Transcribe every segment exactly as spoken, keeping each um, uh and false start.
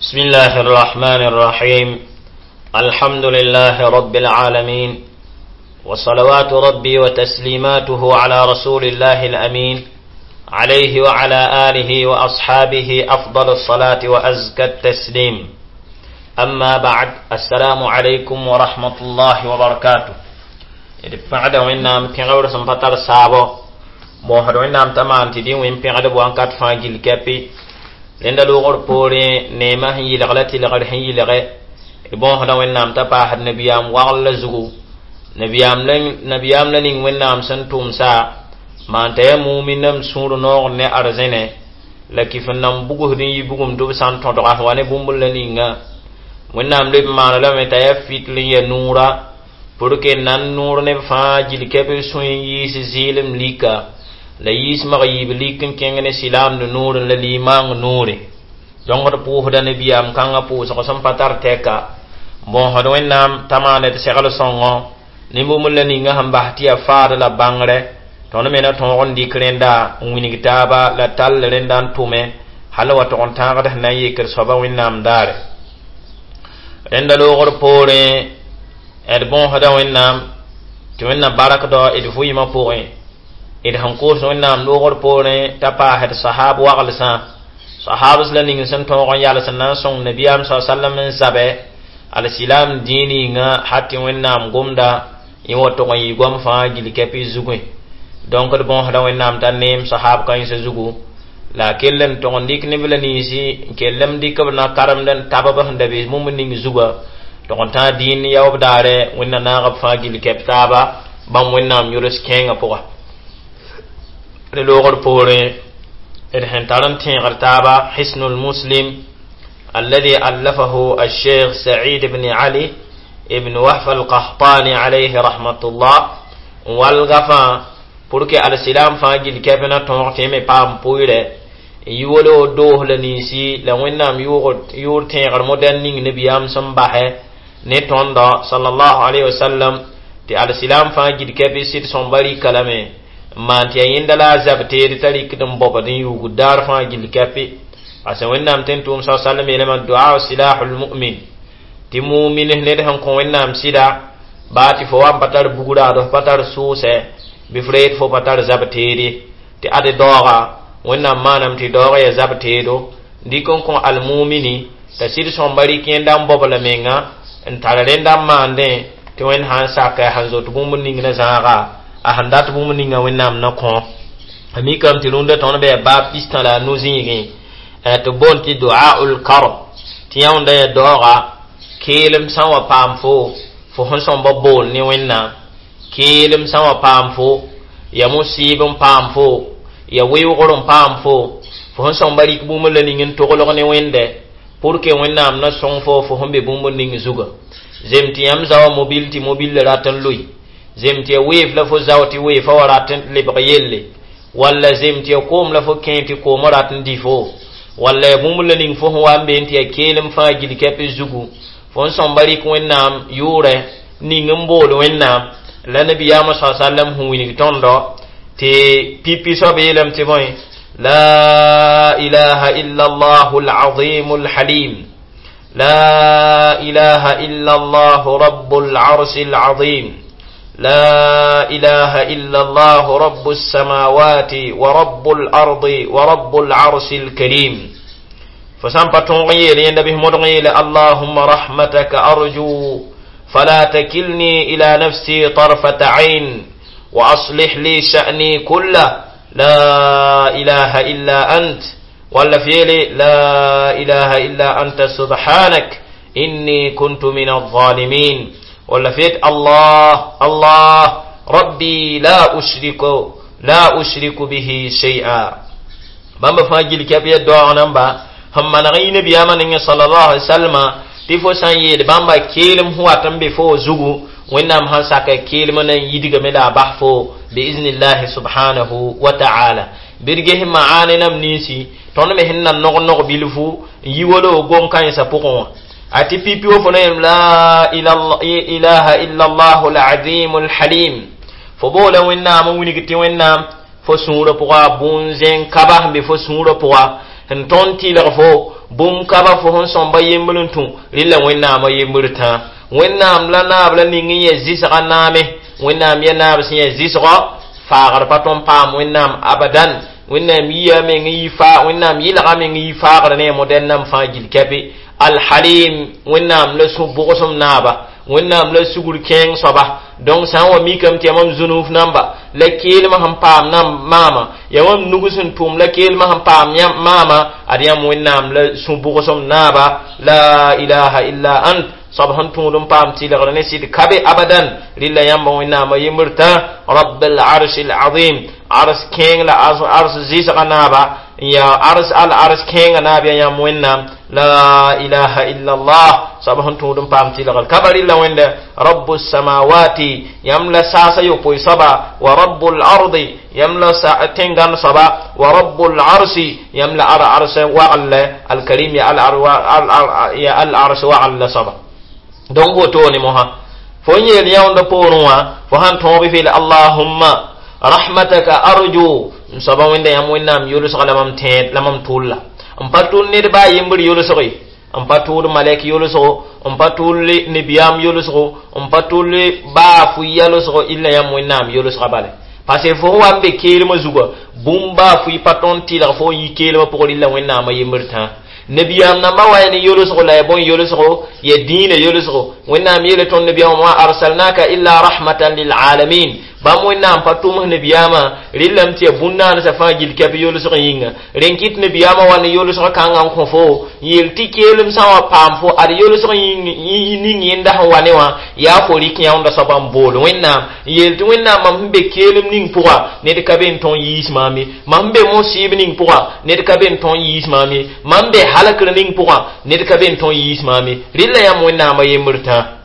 بسم الله الرحمن الرحيم الحمد لله رب العالمين وصلوات ربي وتسليماته على رسول الله الأمين عليه وعلى آله وأصحابه أفضل الصلاة وأزكى التسليم أما بعد السلام عليكم ورحمة الله وبركاته d wẽnnaam pẽgr sẽn pa tar saabo moosd wẽnnaam t'a maan tɩ dẽ wẽn pẽgdb wãnkat fãa gill kɛpɩ rẽnda loogr poorẽ neemã sẽn yɩlg la tɩlgr sẽn yɩlge d bõosda wẽnnaam t'a paasd nabiyaam wagl la zugu nabiyaam la ning wẽnnaam sẽn tʋmsa maan t'a yaa muminnam sũur noogr ne arzẽne la kɩf n nan bugsd n yi bugum tɩ b sã n tõdga wa ne bũmb la ninga wẽnnaam leb n maana lame t'a yaa fitl n ya nuura pour que nan noor neb fãa gil kɛp sũy n yiis zɩɩlem lika la yiis mag yiib lik n kẽng ne silaamd noorẽ la limaang noore donc d pʋʋsda nabiyaam kãngã pʋʋsg sẽn pa tar tɛka bõosd wẽnnaam t'a maana d segl sõngo ne bũmb la ninga sẽn bas tɩ yaa faad la bãngrɛ tõnd me na tõog n dɩk rẽnda n wilg taaba la tall rẽnda n tʋme hal wa tog n tãagd sẽn na n yekd soaba wẽnnaam daare rẽnda loogr poorẽ d bõosda wẽnnaam tɩ wẽnna barakdɔ d vɩɩmã pʋgẽ d sẽn koos wẽnnaam loogr poorẽ t'a paasd sahab waglsã sahabs la ning sẽn tõog n yals n na n sõng nabiyaam sa sallam n zabɛ alsilam dĩig ninga hat tɩ wẽnnaam gomda yẽ wa tog n yɩ goam fãa gil kɛpɩ zugẽ donc d bõosda wẽnnaam t'a neem sahab kãensã zugu la a kell n tog n dɩk neb la ninsi n kell n dɩk b na karemd n tab b sẽn da be bũmb ning zuga tog n tãag dĩin yaoob daare wẽnna naag b fãa gil kɛp taaba bãmb wẽnnaam yʋls kẽengã pʋga d loogr poorẽ d sẽn tar n tẽegr taaba hisnul muslim الذي ألفه الشيخ سعيد بن علي ابن وهف القحطاني عليه رحمة الله والغفا pour que alsilam fãa gil kɛp na tõog tɩ me paam pʋɩrɛ n yi wolo doos la ninsi la wẽnnaam yʋʋr tẽegr modɛl ning nabiyaam sẽn basɛ ne tõndɔ sallallahu alayhi wasallam tɩ alsilam fãa gil kɛp sɩd sõmba rɩka lame n maan tɩ yaa yẽnda la a zab teed t'a rɩkd n bobd n yuugd daar fãa gil kɛpɩ parce wẽnnaam tẽn tʋʋm sa sallam yeelame du'a silahul mu'min tɩ mumin ned sẽn kõ wẽnnaam sɩda baa tɩ fo wa n pa tar bugraad f pa tar sʋʋsɛ bɩ f reed fo pa tar zab teede tɩ ade daooga wẽnnaam maanam tɩ daoog ya zab teedo dɩk n kõ almumini t'a sɩd sõmba rɩk yẽnda n bobla menga n tar rẽnda n maandẽ tɩ wẽnd sã n saka a sẽn zot bũmb ning na zãaga a sẽn dat bũmb ninga wẽnnaam na kõ a mikame tɩ rũndã tõnd bɩ baab pistã la a nu-zĩigẽ tɩ boond tɩ duaul karb tɩ yãunda ya daooga keelem sã n wa paam fo fo sẽn sõmba bool ne wẽnnaam keelem sã n wa paam fo ya musib n paam fo ya weoogr n paam fo fo sẽn sõmba rɩk bũmb la ning n toglg ne wẽnde pour que wẽnnaam na sõng fo fo sẽn be bũmb ning zuga zem tɩ yãmb zaoã mobil tɩ mobil rat n loe zem tɩ ya weef la fo zao tɩ weefa wa rat n lebg yelle walla zem tɩ ya koom la fo kẽ tɩ koomã rat n dɩ fo walla ya bũmb la ning fo sẽn wa n be tɩ ya keelem fãa gil kɛp zugu fo n sõmba rɩk wẽnnaam yʋʋrɛ ning n bool wẽnnaam la nabiyaamã sa sallam sẽn wilg tõndo tɩ pipi soab yeelame tɩ bõe لا إله إلا الله العظيم الحليم لا إله إلا الله رب العرش العظيم لا إله إلا الله رب السماوات ورب الأرض ورب العرش الكريم فسامبا تونغي يندبه مدغي اللهم رحمتك أرجو فلا تكلني إلى نفسي طرفة عين وأصلح لي شأني كله لا إله إلا أنت ولا فيلي لا إله إلا أنت سبحانك إني كنت من الظالمين ولا فيت الله الله ربي لا أشرك لا أشرك به شيئا بamba fãa gil kɛp ya daoog namba sẽn maneg y nabiyaamã ning sallallahu alaihi wasallam tɩ fo sã n yeel bãmba keelem sẽn wat n be fo zugu wẽnnaam sãn saka keelmã na n yidgame la a bas fo biiznillahi subhanahu wa ta'ala bɩ d ges maane nam ninsi tõnd me sẽn na nog nog bilfu n yi wolo gom kãensã pʋgẽ wã a tɩ pipi wa fo na yem la ilaha illa allah alazim alhalim fo boola wẽnnaam n wilg tɩ wẽnnaam fo sũurã pʋga bũn-zẽn kaba sẽn be fo sũurã pʋga sẽn tõnd tɩlg fo bũmb ka ba fo sẽn sõmba yembr n tũ rɩla wẽnnaamã yembr tãa wẽnnaam la naab la ning n yẽ zɩsga naame wẽnnaam ya naab sẽn yẽ zɩsgɔ faagr pa tõn paam wẽnnaam abadan wẽnnaam yia meng n yi faa wẽnnaam yɩlga meng n yi faagr ne a modɛl nam fãa gill kɛpe alhalim wẽnnaam la sũ bʋgsem naaba wẽnnaam la sugr kẽeng soaba donc sã n wa mikame tɩ yaa mam zũnuf namba la keelmã sẽn paam nam maama yaa mam nug sẽn tʋm la keelmã sẽn paam maama ad yãmb wẽnnaam la sũ bʋgsem naaba la ilaha illa ant soab sẽn tũud n paam tɩlgr ne sɩd ka be abadan rɩla yãmba wẽnnaamã yembr tã rabb al arsh al azim ars kẽeng la ars zɩsga naaba n yaa ars al ars kẽengã naab yaa yãmb wẽnnaam la ilaha illa allah soab sẽn tũud n paam tɩlgr ka ba rɩla wẽnde rabu samawati yãmb la saasa yopoe soaba wa rabu l ardi yãmb la tẽngãn soaba wa rabu l arsi yãmb la ar ars wagl alkarim ya al ars wagl la soaba donc wotone mosã fo n yeel yãoonda poorẽ wã fo sãn tõog bɩ feel allahumma rahmataka arju n soaba wẽnda yãmb wẽnnaam yolsg la mam tẽed la mam tʋlla n pa tʋl ned baa yembr yolsg ye n pa tʋʋd malɛk yolsgo n pa tʋl nebiyaam yolsgo n pa tʋl baa fu yalsgo illa yãmb wẽnnaam yolsga bale parce que fo wa n be keelmã zuga bũmb baa fʋɩ pa tõnd tɩlg fo n yi keelmã pʋgr illa wẽnnaamã yembr tãa nabiyam namba wa ne yolsgo la ya bõn yolsgo ya dĩinã yolsgo wẽnnaam yeela tõnd nabiyaam wa arsalnaka illa rahmatan lilalamin bãmb wẽnnaam pa tʋms nabiyaamã rɩlame tɩ ya bũn-naansã fãa gill kɛp yolsg yĩnga rẽn kɩt nabiyaamã wa ne yolsg kãngã n kõ fo yeel tɩ keelem sã n wa paam fo ad yolsg ning yẽnda sẽn wa ne wã yaa fo rɩk yãoonda soaba n bool wẽnnaam n yeel tɩ wẽnnaam mam sẽn be keelem ning pʋga ned ka be n tõn yiis maam ye mam sẽn be mosɩɩb ning pʋga ned ka be n tõn yiis maam ye mam be halakr ning pʋga ned ka be n tõn yiis maam ye rɩla yãmb wẽnnaamã yembr tãa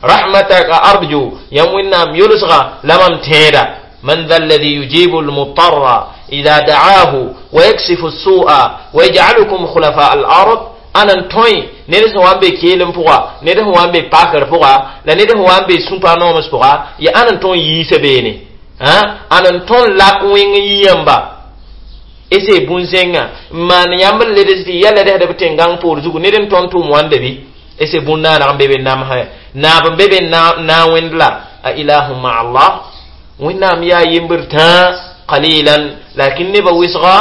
rahmataka arju yãmb wẽnnaam yolsga la mam tẽeda man dha alladhi yujibu almutarra idha da'ahu wa yaksifu as-su'a wa yaj'alukum khulafa al-ard ana n tõe ned sẽn wa n be keelem pʋga ned sẽn wa n be pakr pʋga la ned sẽn wa n be sũpa nooms pʋga ya ãn n tõn yiisa beene ãn n tõn lak wẽng n yi yãmba ese bũn-zẽngã n maan yãmb n leds tɩ ya ledisdb tẽn-gãng poor zugu ned n tõn tʋʋm wãnda bɩ ese bũn-naanag n be be namsã naab n be be na wẽnd la a ilahu ma allah wẽnnaam yaa yembr tãa qalilan lakin nebã wɩsga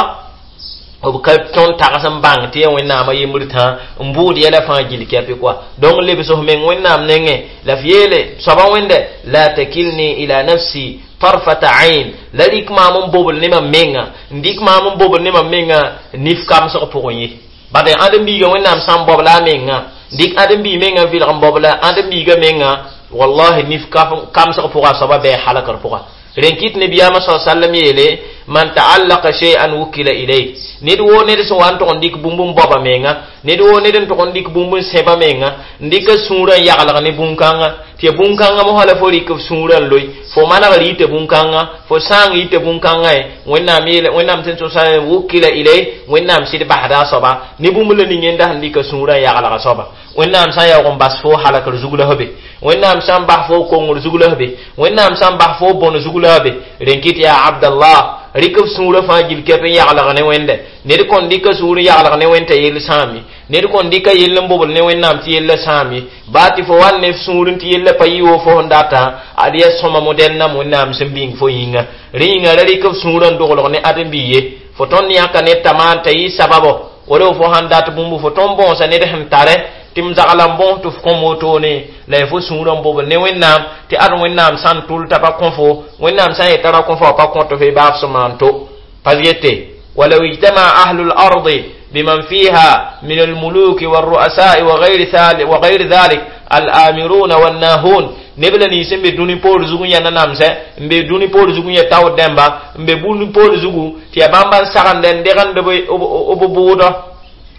b ka tõnd tags n bãng tɩ ya wẽnnaamã yembr tãa n bʋʋd yɛla fãa gill kɛpɩ koa donc lebs f meng wẽnnaam nengẽ la f yeele soaba wẽnde la takilni ila nafsi tarfata ain la rɩk maam n bobl ne mam menga n dɩk maam n bobl ne mam menga nif kamsg pʋgẽ ye bad ãdem-biigã wẽnnaam sã n bobla a menga dɩk ãdem-biig menga n vɩlg n bobla ãdem-biigã menga wallahi nif kamsg pʋga a soaba bɩ halakr pʋga rẽn kɩt nabiyaamã sa sallam yeele man ta'allaqa shay'an wukila ilayh ned woo ned sẽn wa n tʋg n dɩk bũmb n baoba menga ned woo ned n tʋg n dɩk bũmb n sẽba menga n dɩka sũurã n yaglg ne bũn-kãngã tɩ ya bũn-kãngã mosã la fo rɩk f sũurã n loe fo manegr yita bũn-kãngã fo sãang yita bũn-kãngã ye wẽnnaam yeele wẽnnaam tɩ tʋsa wukila ilayh wẽnnaam sɩd basda a soaba ne bũmb la ning yẽnda sẽn dɩka sũurã n yaglga soaba wẽnnaam sã n yaoog n bas fo halakr zug la f be wẽnnaam sã n bas fo kongr zug la f be wẽnnaam sã n bas fo bõn zug la f be rẽn kɩt yaa abdallah rɩk f sũurã fãa gill kɛp n yaglg ne wẽnde ned kõn dɩka sũur n yaglg ne wẽnd t'a yell sãam ye ned kõn dɩka yell n bobl ne wẽnnaam tɩ yella sãam ye baa tɩ fo wa ne f sũur tɩ yella pa yɩ wo fo sẽn datã ad yaa sõma modɛl nam wẽnnaam sẽn bĩng fo yĩnga rẽ yĩnga ra rɩk f sũurã n doglg ne ãdem-bi ye fo tõnd yãka ned t'a maan t'a yɩ sababo wala fo sãn dat bũmb fo tõnd bõosa ned sẽn tare tɩ m zagla n bõos tɩ f kõm wotone la y fo sũurã n bobl ne wẽnnaam tɩ ad wẽnnaam sã n tʋl t'a pa kõ fo wẽnnaam sã n yeta ra kõ fo a pa kõt f baaf sẽn maan to pas yete ولو اجتمع أهل الأرض بمن فيها من الملوك والرؤساء وغير ذلك وغير ذلك الآمرون والناهون neb la nins n be dũni poor zugu yã nanamsɛ n be dũni poor zugu yã taood dẽmba n be bũni poor zugu tɩ yaa bãmba n sagende n degend b bʋʋdɔ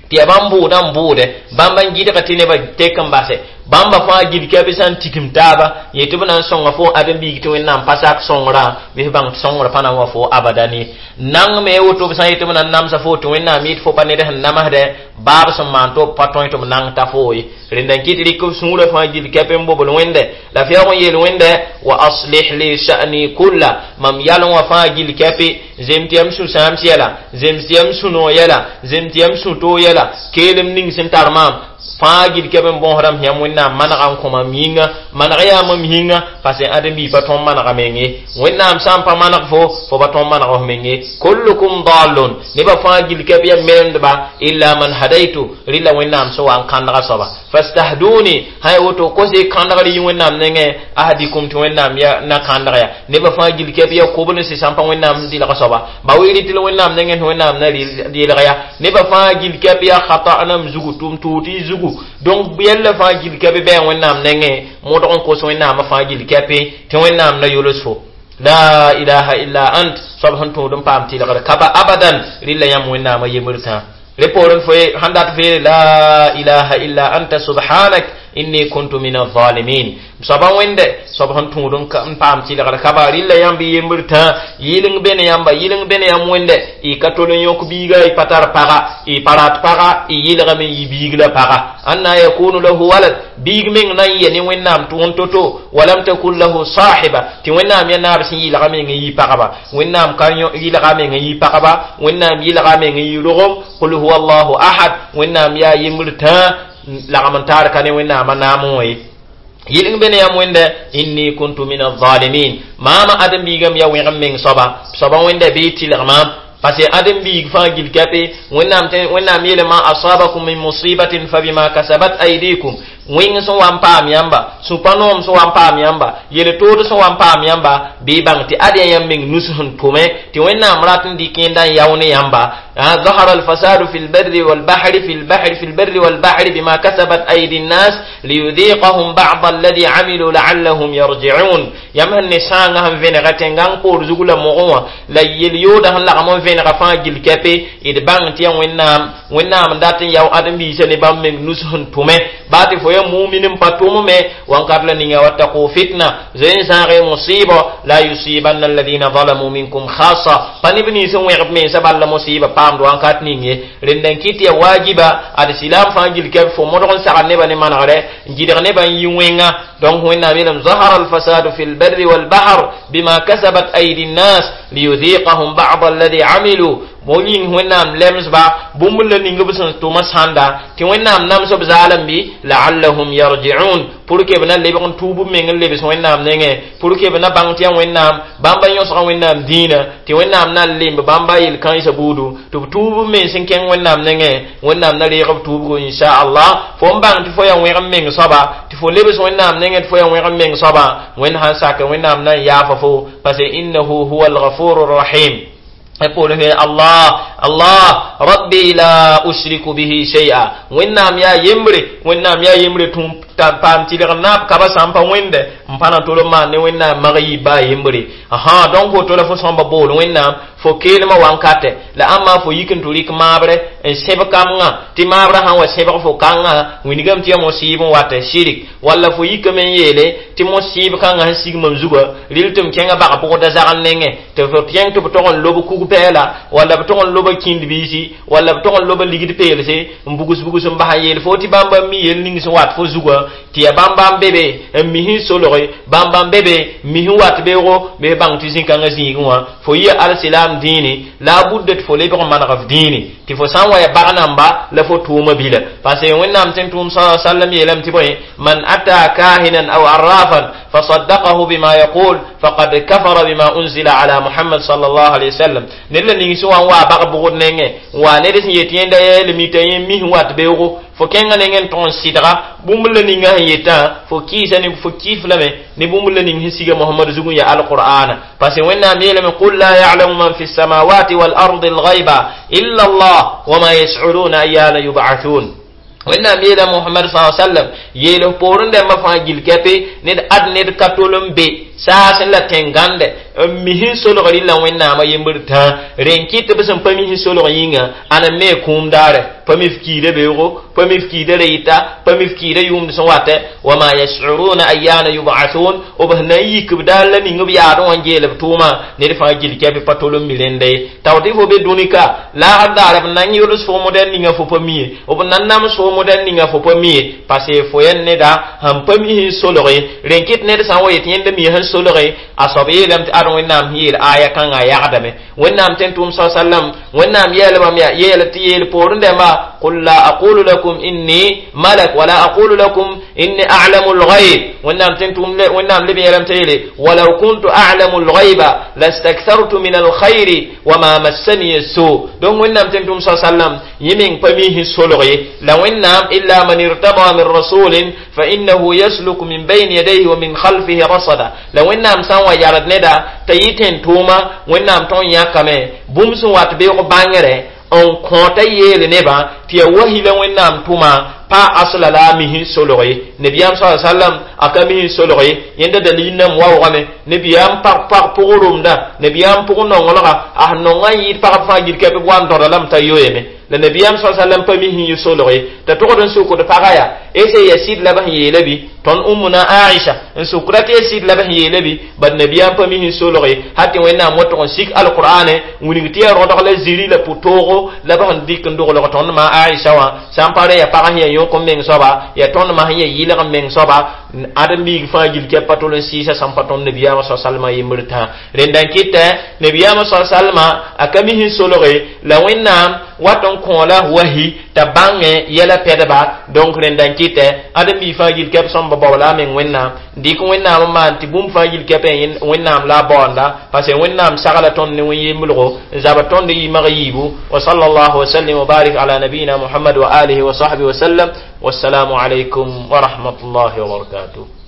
tɩ yaa bãmb bʋʋdã n bʋʋdɛ bãmba n gɩdg tɩ nebã tek n base Bãmba fãa gil kɛpɩ sã n tikim taaba yetɩ b na n sõnga fo ãdem-biig tɩ Wẽnnaam pa sak sõngrã bɩ f bãng tɩ sõngr pa na n wa fo abadan ye. Nang me woto b sã n yetɩ b na n namsa fo tɩ Wẽnnaam yɩɩd fo pa ned sẽn namsdɛ baab sẽn maan tɩ b pa tõe tɩ b nang ta fo ye. Rẽnda n kɩt rɩk b sũurã fãa gil kɛp n bobl Wẽnde la f yaoog n yeel Wẽnde wa aslih li sha'ni kulla mam yalẽ wã fãa gil kɛpɩ zem tɩ yam sũ-sãams yɛla zem tɩ yam sũ-noog yɛla zem tɩ yam sũ-toog yɛla keelem ning sẽn tar maam fãa gil kɛp n bõosdame yãmb Wẽnnaam manega n kõ mam yĩnga maneg yaa mam yĩnga parce ãdem-biig pa tõnd manega meng ye. Wẽnnaam sã n pa maneg fo fo pa tõnd maneg f meng ye. Kullukum dallun nebã fãa gil kɛp yaa melemdba illa man hadaitu rɩla Wẽnnaam sẽn wa n kãndga soaba fastahduni sã woto kose kãndgr yɩ Wẽnnaam nengẽ ahdikum tɩ Wẽnnaam ya na kãndg ya nebã fãa gil kɛp yaa kobl n sã n pa Wẽnnaam sẽn dɩlg soaba ba wi rɩt la Wẽnnaam nengẽ tɩ Wẽnnaam na yelg ya nebã fãa gil kɛp yaa khata'nam zugu tʋm tʋʋt y zugu donc yɛlla fãa gil kɛp bɩ Wẽnnaam nengẽ modg n kos Wẽnnaamã fãa gil kɛpɩ tɩ Wẽnnaam na yols fo la ilaha illa ant soab sẽn tũud n paam tɩlgr ka ba abadan rɩla yãmb Wẽnnaamã yembr tã repoorẽ fo sãn dat fo la ilaha illa anta subhanak inni kuntu min alzalimin soaba wẽnde soab sẽn tũud n paam tɩlgr ka ba rɩla yãmb yembr tã yɩleng be ne yãmba yɩleng be ne yãmb wẽnde y ka tol n yõk biiga y pa tar paga y pa rat paga y yɩlgame n yɩ biig la paga anna yakunu lahu walad biig meng na n yɛ ne Wẽnnaam tʋʋn to-to walam takun lahu sahiba tɩ Wẽnnaam yaa naab sẽn yɩlga meng n yɩ pagba Wẽnnaam ka yɩlga meng n yɩ pagba Wẽnnaam yɩlga meng n yɩ rogem qul huwa allahu ahad Wẽnnaam yaa yembr tã lagm n taar ka ne Wẽnnaamã naam wã ye. Yɩleng be ne yãmb wẽnde inni kuntu min alzalimin maama ãdem-biigame yaa wẽgem meng soaba soaba wẽnda bɩ tɩlg maam parce que ãdem-biig fãa gil kɛpɩ Wẽnnaam Wẽnnaam yeele ma asabakum min musibatin fabima kasabat aydikum wẽng sẽn wa n paam yãmba sũ-pa-noom sẽn wa n paam yãmba yel-tood sẽn wa n paam yãmba bɩ bãng tɩ ad yaa yãmb meng nus sẽn tʋme tɩ Wẽnnaam rat n dɩk yẽnda n yao ne yãmba. ظهر الفساد في البر والبحر في البحر في البر والبحر بما كسبت أيدي الناس ليذيقهم بعض الذي عملوا لعلهم يرجعون yãmb sẽn ne sãangã sẽn vẽnega tẽngã poor zug la mogẽ wã la yel-yooda sẽn lagm n vẽnega fãa gil kɛpɩ d bãng tɩ yaa Wẽnnaam Wẽnnaam n dat n yao ãdem-biisã ne bãmb meng nus sẽn tʋme baa tɩ fo yaa mumin n pa tʋm me wankat la ninga wattaqu fitna zoe n zãage musiba la yusibanna alladhina zalamu minkum khassa pa neb nins n wẽgb mensã bal la musiba paamd wankat ning ye. Rẽnda n kɩt yaa waajiba ad silaam fãa gil kɛp fo modg n sagd nebã ne manegre n gɩdg nebã n yɩ wẽnga donc Wẽnnaam yeelame ظهر الفساد في البر والبحر بما كسبت أيدي الناس ليذيقهم بعض الذي عملوا mo yĩng Wẽnnaam lemsba bũmb la ning b sẽn tʋma sãnda tɩ Wẽnnaam nams b zaalem bɩ la'allahum yarji'un pour que b na lebg n tuub b meng n lebs Wẽnnaam nengẽ pour que b na bãng tɩ yaa Wẽnnaam bãmba yõsga Wẽnnaam dĩinã tɩ Wẽnnaam na n lemb bãmba yel-kãensã buudu tɩ b tuub b mens n kẽng Wẽnnaam nengẽ Wẽnnaam na reeg b tuubgo inchallah. Fo n bãng tɩ fo yaa wẽgem meng soaba tɩ fo lebs Wẽnnaam nengẽ tɩ fo yaa wẽgem meng soaba Wẽnd sãn sak Wẽnnaam na n yaafa fo parce que innahu huwa alghafuru rahim. يقول الله الله ربي لا أشرك به شيئا Wẽnnaam yaa yembre Wẽnnaam yaa yembre tũ paam tɩlg naab ka ba sã n pa wẽnde n pa na tol n maan ne Wẽnnaam mag yɩ baa yembre ãhã donc woto la fo sõmba bool Wẽnnaam fo keelmã wankatɛ la ãmba fo yik n tɩ rɩk maabre n sẽb kambgã tɩ maabrã sã n wa sẽbg fo kãngã wingame tɩ yaa mosɩɩb n wat shirik walla fo yikame n yeele tɩ mosɩɩb kãngã sẽn sig mam zugã rɩl tɩ m kẽngã bag bʋgda zagl nengẽ tɩ fo kẽng tɩ b tog n lob kug pɛɛla walla b tog n loba kĩnd biisi walla b tog n loba ligd peelse n bugs bugs n bas n yeel fo tɩ bãmba mi yel ning sẽn wat fo zugã tɩ yaa bãmba n be be n mis n solge bãmba n be be n mis n wat beoogo bɩ bãng tɩ zĩ-kãngã zĩigẽ wã fo yɩ alsilam dĩini la a budda tɩ fo lebg n maneg f dĩini tɩ fo sã n wa ya bag namba la fo tʋʋma bila parce que Wẽnnaam tẽn tʋʋm sa sallam yeelame tɩ bõe man ata kahinan aw arrafan fasaddaqahu bima yaqul faqad kafara bima unzila ala Muhammad sallallahu alaihi wasallam ned la ning sẽn wa n waa bag bʋgd nengẽ n waa ned sẽn yet yẽnda yeelame t'a yẽ mis n wat beoogo fo kẽngã nengẽ n tog n sɩdga bũmb la ninga sẽn yetã fo kɩɩsa ne fo kɩɩf lame ne bũmb la ning sẽn siga Mohamad zug n yaa alqur'ana parce que Wẽnnaam yeelame qul la ya'lamu man fi samawati wal ardi alghayba illa Allah wama yash'uruna ayyana yub'athun. Wẽnnaam yeela Mohamad sa sallam yeel poorẽ dãmbã fãa gil kɛpɩ ned ad ned ka tol n be Saasẽ la tẽn-gãnde n mi sẽn solg rɩla Wẽnnaamã yembr tã rẽn kɩt tɩ b sẽn pa mi sẽn solg yĩnga ãna me kũum daare pa mi f kiida beoogo pa mi f kiida ra yɩta pa mi f kiida yʋʋmd sẽn watɛ wama yashuruna ayyana yub'athun b sẽn na n yik b daar la ning b yaadẽ wã n geel b tʋʋmã ned fãa gil kɛpɩ pa tol n mi rẽnda ye tao tɩ fo be dũni-ka laagr daare b na n yʋls fo modɛl ninga fo pa mi ye b na n nams fo modɛl ninga fo pa mi ye parce que fo yaa neda sẽn pa mi sẽn solge rẽn kɩt ned sã n wa yet yẽnda mi sẽn solge a soab yeelame tɩ ad Wẽnnaam sẽn yeel aya kãngã yagdame Wẽnnaam tẽn tʋʋm sa sallam Wẽnnaam yeelbame yaa yeel tɩ yeel poorẽ dẽmba قل لا أقول لكم إني ملك ولا أقول لكم إني أعلم الغيب وإنام تنتم وإنام لبي لم تيلي ولو كنت أعلم الغيب لاستكثرت من الخير وما مسني السوء دون وإنام تنتم صلى الله عليه وسلم يمين فميه سلغي لو إنام إلا من ارتضى من رسول فإنه يسلك من بين يديه ومن خلفه رصدا لو إنام سوى يارد ندا تيتين توما وإنام تون ياكمي بومسن وات بيغ بانغري n kõota yeel nebã tɩ ya wahi la Wẽnnaam tʋma pa asla la a mis n solg ye nabiyaam sa sallam a ka mis n solg ye yẽnda dalil nam waoogame nabiyaam pag pag pʋg romda nabiyaam pʋg nonglga a sẽn nongã n yɩɩd pagb fãa gil kɛp b wa n dõda lame t'a yoeeme la nabiyaam sa sallam pa mis n yɩ solg ye t'a togd n sukd pagã yaa ese ya sɩd la b sẽn yeela bɩ tõnd Ummuna Aisha n sukra tɩ ya sɩd la b sẽn yeela bɩ bad nabiyaam pa mis n solg ye hal tɩ Wẽnnaam wotg n sik alqur'ane wilg tɩ ya rõdg la ziri la pʋ-toogo la b sẽn dɩk n doglg tõnd ma Aisha wã sã n pa rẽ ya pagã sẽn ya yõk n meng soaba ya tõnd ma sẽn ya yɩlg n meng soaba ãdem biig fãa gil kɛp pa tol n sɩɩsa sãn pa tõnd nabiyaamã sa salma yembr tã rẽnda n kɩtɛ nabiyaamã sa salma a ka mis n solge la Wẽnnaam wat n kõ la wahi t'a bãngẽ yɛla pɛdba donc rẽnda n kɩtɛ ãdem biig fãa gil kɛp sõmba bao la a meng Wẽnnaam dɩk Wẽnnaam n maan tɩ bũmb fãa yil kɛpẽ Wẽnnaam la a baoonda parce que Wẽnnaam sagla tõnd ne wẽn-yemblgo n zaba tõnd yimag yiibu wa sallallahu wa sallim wa barik ala nabiyina Muhammad wa alihi wa sahbihi wa sallam wassalamu alaykum wa rahmatullahi wa barakatuh.